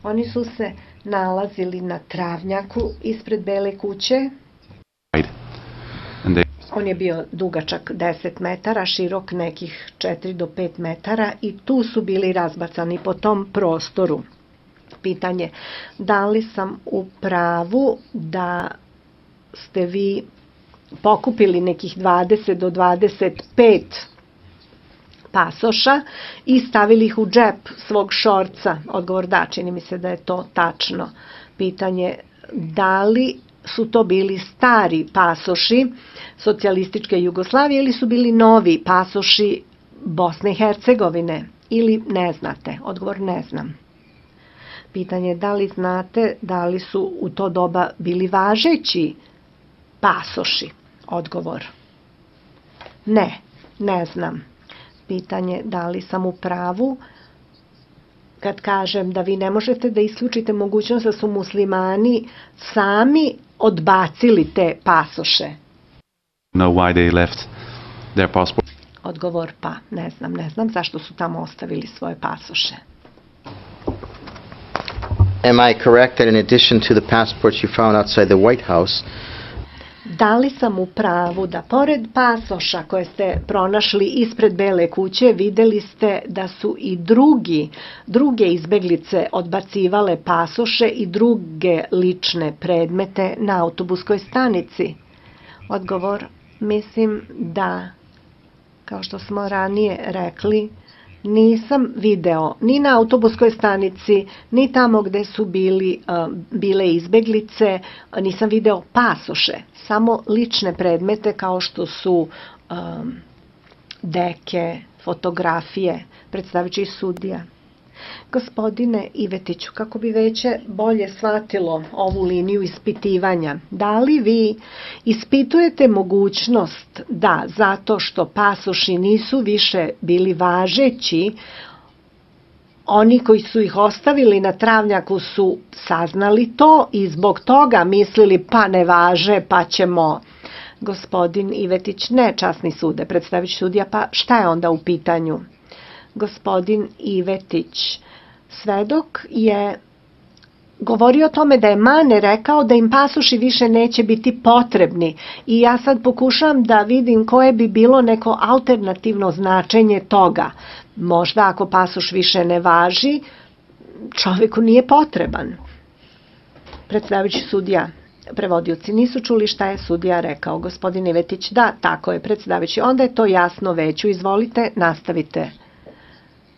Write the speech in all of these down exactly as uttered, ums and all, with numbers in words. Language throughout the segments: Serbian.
Oni su se nalazili na travnjaku ispred Bele kuće. On je bio dugačak deset metara, širok nekih četiri do pet metara i tu su bili razbacani po tom prostoru. Pitanje, da li sam u pravu da ste vi pokupili nekih dvadeset do dvadeset pet pasoša i stavili ih u džep svog šorca? Odgovor da, čini mi se da je to tačno. Pitanje, da li su to bili stari pasoši socijalističke Jugoslavije ili su bili novi pasoši Bosne i Hercegovine? Ili ne znate? Odgovor ne znam. Pitanje, da li znate da li su u to doba bili važeći pasoši? Odgovor ne, ne znam. Pitanje, da li sam u pravu kad kažem da vi ne možete da isključite mogućnost da su muslimani sami odbacili te pasoše? Know why they left their passport? Odgovor pa, ne znam, ne znam zašto su tamo ostavili svoje pasoše. Am I correct that in addition to the passports you found outside the White House, da li sam u pravu da pored pasoša koje ste pronašli ispred Bele kuće, videli ste da su i drugi, druge izbeglice odbacivale pasoše i druge lične predmete na autobuskoj stanici? Odgovor, mislim da, kao što smo ranije rekli, nisam video ni na autobuskoj stanici, ni tamo gde su bili, bile izbeglice, nisam video pasoše, samo lične predmete kao što su um, deke, fotografije, predstavići sudija. Gospodine Ivetiću, kako bi veće bolje shvatilo ovu liniju ispitivanja, da li vi ispitujete mogućnost da, zato što pasoši nisu više bili važeći, oni koji su ih ostavili na travnjaku su saznali to i zbog toga mislili pa ne važe, pa ćemo... Gospodin Ivetić, ne, časni sude, predstavić sudija, pa šta je onda u pitanju? Gospodin Ivetić, svedok je govorio o tome da je Mane rekao da im pasoši više neće biti potrebni i ja sad pokušam da vidim koje bi bilo neko alternativno značenje toga. Možda ako pasoš više ne važi, čoveku nije potreban. Predstavljajući sudija, prevodioci nisu čuli šta je sudija rekao. Gospodin Ivetić, da, tako je, predstavljajući, onda je to jasno veću. Izvolite, nastavite.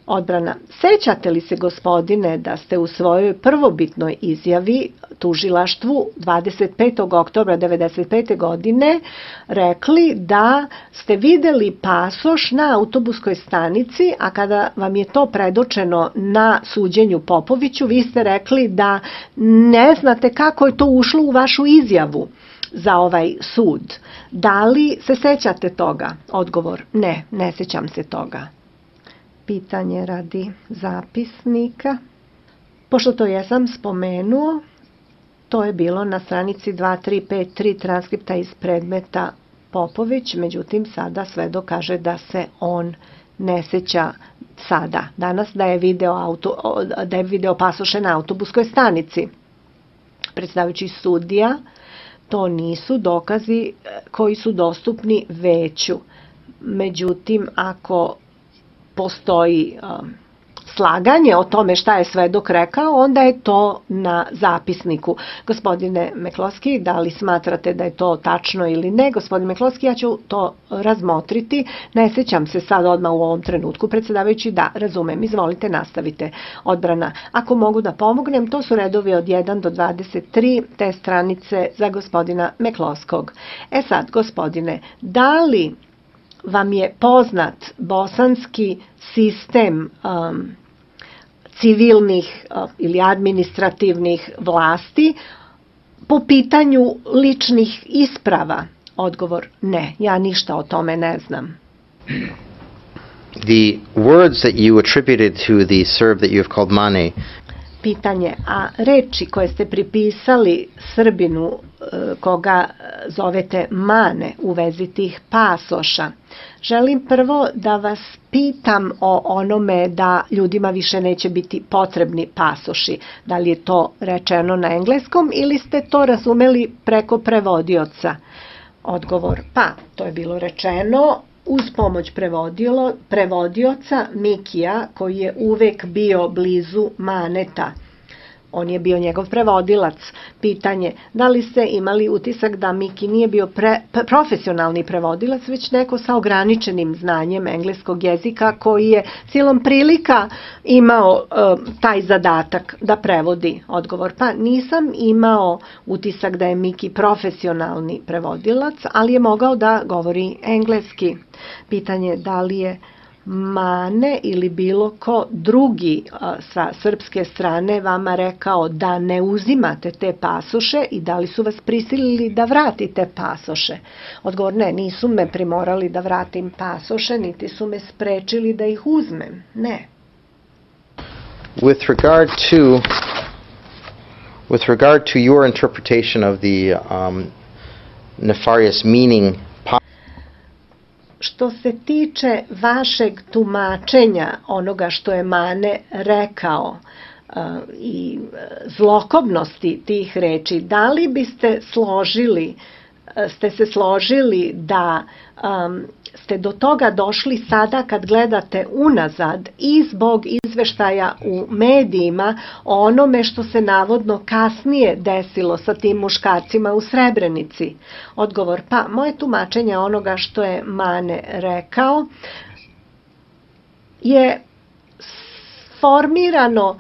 Odbrana. Sećate li se, gospodine, da ste u svojoj prvobitnoj izjavi tužilaštvu dvadeset petog oktobra devedeset pete. godine rekli da ste videli pasoš na autobuskoj stanici, a kada vam je to predočeno na suđenju Popoviću, vi ste rekli da ne znate kako je to ušlo u vašu izjavu za ovaj sud. Da li se sećate toga? Odgovor, ne, ne sećam se toga. Pitanje radi zapisnika. Pošto to jesam spomenuo, to je bilo na stranici dva tri pet tri transkripta iz predmeta Popović, međutim sada svedok kaže da se on ne seća sada, danas da je video, auto, da je video pasoše na autobuskoj stanici. Predstavljajući sudija, to nisu dokazi koji su dostupni veću. Međutim, ako postoji um, slaganje o tome šta je svedok rekao, onda je to na zapisniku. Gospodine Meklovski, da li smatrate da je to tačno ili ne? Gospodine Meklovski, ja ću to razmotriti. Ne sećam se sad odmah u ovom trenutku. Predsedavajući, da, razumem. Izvolite, nastavite. Odbrana. Ako mogu da pomognem, to su redovi od jedan do dvadeset tri te stranice za gospodina Meklovskog. E sad, gospodine, da li vam je poznat bosanski sistem um, civilnih uh, ili administrativnih vlasti po pitanju ličnih isprava? Odgovor, ne, ja ništa o tome ne znam. The words that you attributed to the Serb that you have called Mane. Pitanje, a reči koje ste pripisali Srbinu koga zovete Mane u vezi tih pasoša, želim prvo da vas pitam o onome da ljudima više neće biti potrebni pasoši. Da li je to rečeno na engleskom ili ste to razumeli preko prevodioca? Odgovor, pa, to je bilo rečeno uz pomoć prevodioca Mikija, koji je uvek bio blizu Maneta. On je bio njegov prevodilac. Pitanje, da li ste imali utisak da Miki nije bio pre, profesionalni prevodilac, već neko sa ograničenim znanjem engleskog jezika koji je silom prilika imao uh, taj zadatak da prevodi? Odgovor, pa nisam imao utisak da je Miki profesionalni prevodilac, ali je mogao da govori engleski. Pitanje, da li je Mane ili bilo ko drugi sa srpske strane vama rekao da ne uzimate te pasoše i da li su vas prisilili da vratite pasoše? Odgovor, ne, nisu me primorali da vratim pasoše, niti su me sprečili da ih uzmem, ne. With regard to with regard to your interpretation of the um, nefarious meaning. Što se tiče vašeg tumačenja onoga što je Mane rekao uh, i zlokobnosti tih reči, da li biste složili, ste se složili da um, ste do toga došli sada kad gledate unazad i zbog izveštaja u medijima o onome što se navodno kasnije desilo sa tim muškarcima u Srebrenici? Odgovor, pa moje tumačenje onoga što je Mane rekao je formirano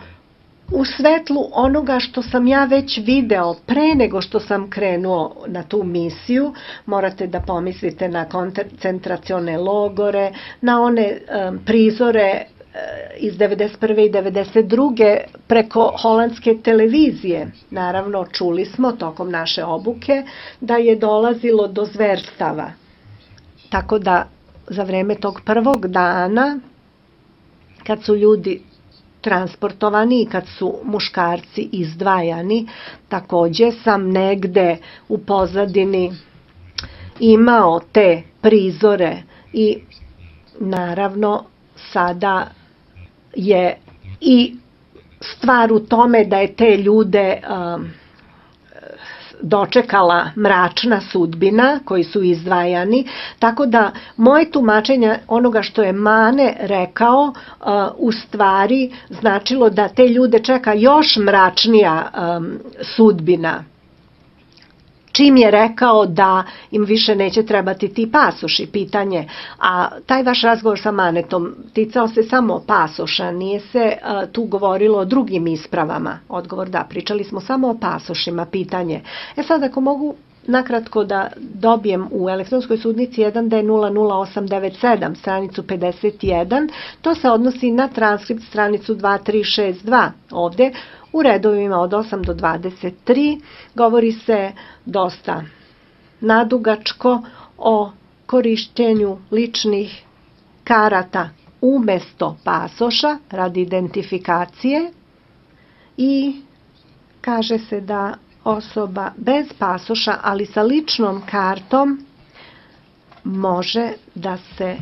u svetlu onoga što sam ja već video pre nego što sam krenuo na tu misiju. Morate da pomislite na koncentracione logore, na one um, prizore uh, iz devedeset prve i devedeset druge preko holandske televizije. Naravno, čuli smo tokom naše obuke da je dolazilo do zverstava. Tako da za vreme tog prvog dana, kad su ljudi transportovani i kad su muškarci izdvajani, takođe sam negde u pozadini imao te prizore i naravno sada je i stvar u tome da je te ljude um, dočekala mračna sudbina koji su izdvajani, tako da moje tumačenje onoga što je Mane rekao uh, u stvari značilo da te ljude čeka još mračnija um, sudbina. Čim je rekao da im više neće trebati ti pasoši, pitanje, a taj vaš razgovor sa Manetom ticao se samo pasoša, nije se a, tu govorilo o drugim ispravama? Odgovor, da, pričali smo samo o pasošima, pitanje. E sad, ako mogu nakratko da dobijem u elektronskoj sudnici jedan D nula nula osam devet sedam, stranicu pedeset jedan, to se odnosi na transkript stranicu dva tri šest dva ovde, u redovima od osam do dvadeset tri, govori se dosta nadugačko o korišćenju ličnih karata umesto pasoša radi identifikacije i kaže se da osoba bez pasoša, ali sa ličnom kartom, može da se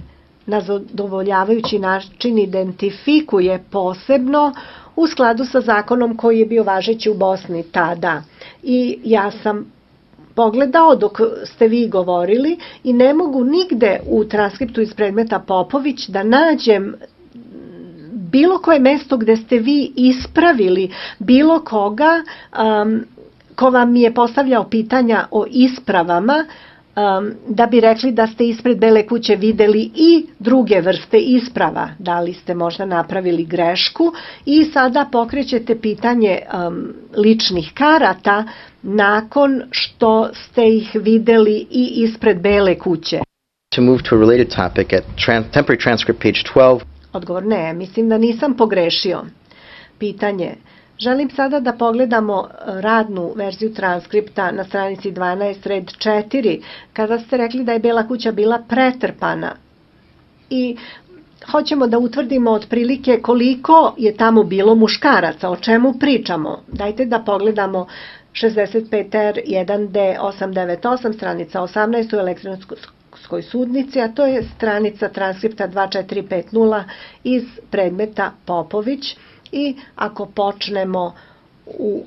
na zadovoljavajući način identifikuje posebno u skladu sa zakonom koji je bio važeći u Bosni tada. I ja sam pogledao dok ste vi govorili i ne mogu nigde u transkriptu iz predmeta Popović da nađem bilo koje mesto gde ste vi ispravili bilo koga um, ko vam je postavljao pitanja o ispravama, um, da bi rekli da ste ispred Bele kuće videli i druge vrste isprava. Da li ste možda napravili grešku i sada pokrećete pitanje um, ličnih karata nakon što ste ih videli i ispred Bele kuće. To move to a related topic at tran temporary transcript page twelve. Odgovor, ne, mislim da nisam pogrešio. Pitanje. Želim sada da pogledamo radnu verziju transkripta na stranici dvanaest, red četiri, kada ste rekli da je Bela kuća bila pretrpana. I hoćemo da utvrdimo otprilike koliko je tamo bilo muškaraca, o čemu pričamo. Dajte da pogledamo šezdeset pet R jedan D osam devet osam, stranica osamnaest u elektronskoj sudnici, a to je stranica transkripta dva četiri pet nula iz predmeta Popović. I ako počnemo u,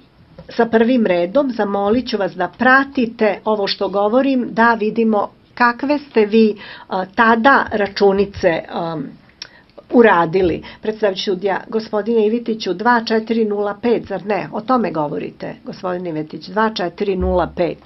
sa prvim redom, zamolit ću vas da pratite ovo što govorim, da vidimo kakve ste vi a, tada računice a, uradili. Predstavljajući sudija, gospodine Ivitiću, dva četiri nula pet, zar ne? O tome govorite, gospodine Ivitić, dva četiri nula pet.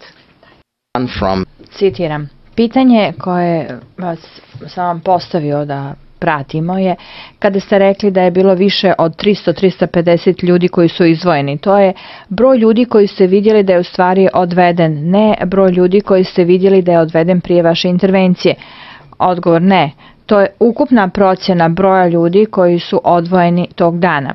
Citiram. Pitanje koje vas sam vam postavio da pratimo je kada ste rekli da je bilo više od tristo do trista pedeset ljudi koji su izdvojeni. To je broj ljudi koji ste vidjeli da je u stvari odveden, ne broj ljudi koji ste vidjeli da je odveden prije vaše intervencije. Odgovor ne. To je ukupna procjena broja ljudi koji su odvojeni tog dana.